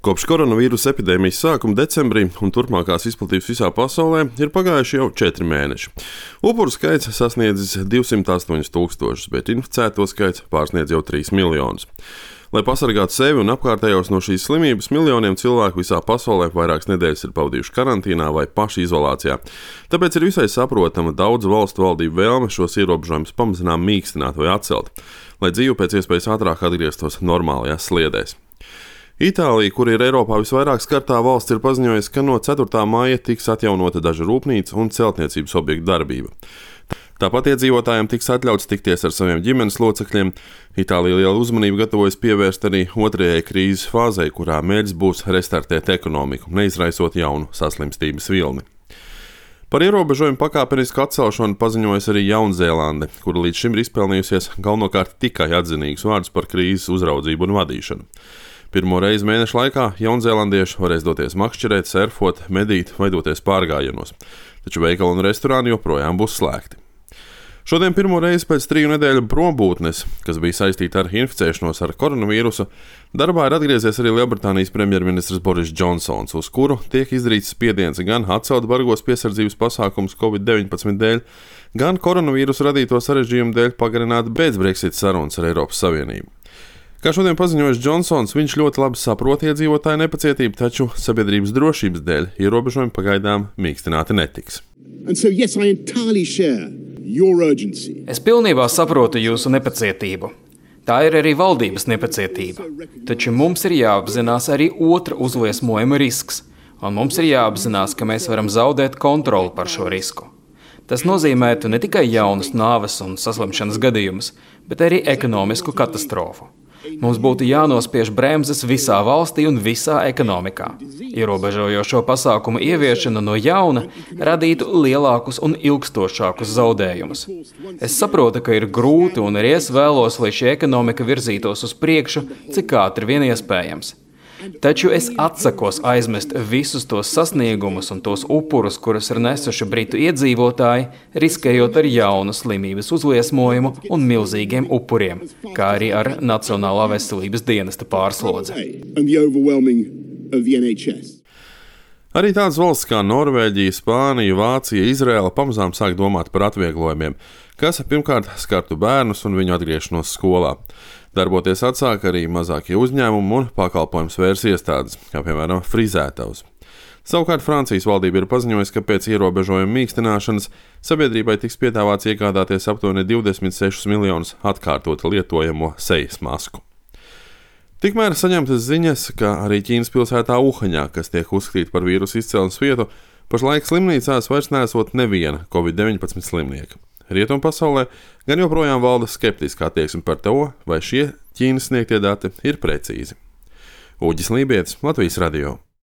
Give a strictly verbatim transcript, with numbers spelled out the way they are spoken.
Kopš koronavīrusa epidēmijas sākuma decembrī un turpmākās izplatības visā pasaulē ir pagājuši jau četri mēneši. Upuru skaits sasniedzis divsimt astoņus tūkstošus, bet inficēto skaits pārsniedz jau trīs miljonus. Lai pasargātu sevi un apkārtējos no šīs slimības, miljoniem cilvēku visā pasaulē vairākas nedēļas ir pavadījuši karantīnā vai paši izolācijā. Tāpēc ir visai saprotama daudzu valstu valdību vēlme šos ierobežojumus pamazām mīkstināt vai atcelt, lai dzīve pēc iespējas ātrāk atgrieztos normālajās sliedēs. Itālija, kur ir Eiropā visvairāk skartā valsts, ir paziņojusi, ka no ceturtā māja tiks atjaunota daža rūpnīca un celtniecības objektu darbība. Tāpat iedzīvotājiem tiks atļauts tikties ar saviem ģimenes locekļiem. Itālija lielu uzmanību gatavojas pievērst arī otrajai krīzes fāzei, kurā mērķis būs restartēt ekonomiku, neizraisot jaunu saslimstības vilni. Par ierobežojumu pakāpenisku atcelšanu paziņojas arī Jaunzēlande, kura līdz šim ir izpelnījusies galvenokārt tikai atzinīgus vārdus par krīzes uzraudzību un vadīšanu. Pirmo reizi mēneša laikā jaunzēlandieši varēs doties makšķerēt, surfot, medīt vai doties pārgājienos, taču veikali un restorāni joprojām būs slēgti. Šodien pirmo reizi pēc triju nedēļu prombūtnes, kas bija saistīta ar inficēšanos ar koronavīrusu, darbā ir atgriezies arī Lielbritānijas premjerministrs Boris Džonsons, uz kuru tiek izdarīts spiediens gan atcelt bargos piesardzības pasākumus covid deviņpadsmit dēļ, gan koronavīrusu radīto sarežģījumu dēļ pagarināt pēc-Brexit sarunas ar Eiropas Savienību. Kā šodien paziņojis Džonsons, viņš ļoti labi saprot iedzīvotāju nepacietību, taču sabiedrības drošības dēļ ierobežojumi pagaidām mīkstināti netiks. So, yes, es pilnībā saprotu jūsu nepacietību. Tā ir arī valdības nepacietība. Taču mums ir jāapzinās arī otra uzliesmojuma risks, un mums ir jāapzinās, ka mēs varam zaudēt kontroli par šo risku. Tas nozīmētu ne tikai jaunus nāves un saslimšanas gadījumus, bet arī ekonomisku katastrofu. Mums būtu jānospiež bremzes visā valstī un visā ekonomikā. Ierobežojošo pasākumu ieviešana no jauna radītu lielākus un ilgstošākus zaudējumus. Es saprotu, ka ir grūti, un arī es vēlos, lai šī ekonomika virzītos uz priekšu, cik ātri vien iespējams. Taču es atsakos aizmest visus tos sasniegumus un tos upurus, kurus ir nesuši britu iedzīvotāji, riskējot ar jaunu slimības uzliesmojumu un milzīgiem upuriem, kā arī ar Nacionālā veselības dienesta pārslodzi. Arī tādas valsts kā Norvēģija, Spānija, Vācija, Izraēla pamazām sāk domāt par atvieglojumiem, kas pirmkārt skartu bērnus un viņu atgriešanos skolā. Darboties atsāk arī mazākie uzņēmumi un pakalpojums vērs iestādes, kā piemēram frizētavas. Savukārt Francijas valdība ir paziņojusi, ka pēc ierobežojuma mīkstināšanas sabiedrībai tiks piedāvāts iegādāties aptuveni divdesmit sešus miljonus atkārtot lietojamo sejas masku. Tikmēr saņemtas ziņas, ka arī Ķīnas pilsētā Uhaņā, kas tiek uzskatīta par vīrusu izcelsmes vietu, pašlaik slimnīcās vairs nesot neviena covid deviņpadsmit slimnieka. Rietumpasaulē gan joprojām valda skeptiska attieksme par to, vai šie Ķīnas sniegtie dati ir precīzi. Uģis Lībietis, Latvijas radio.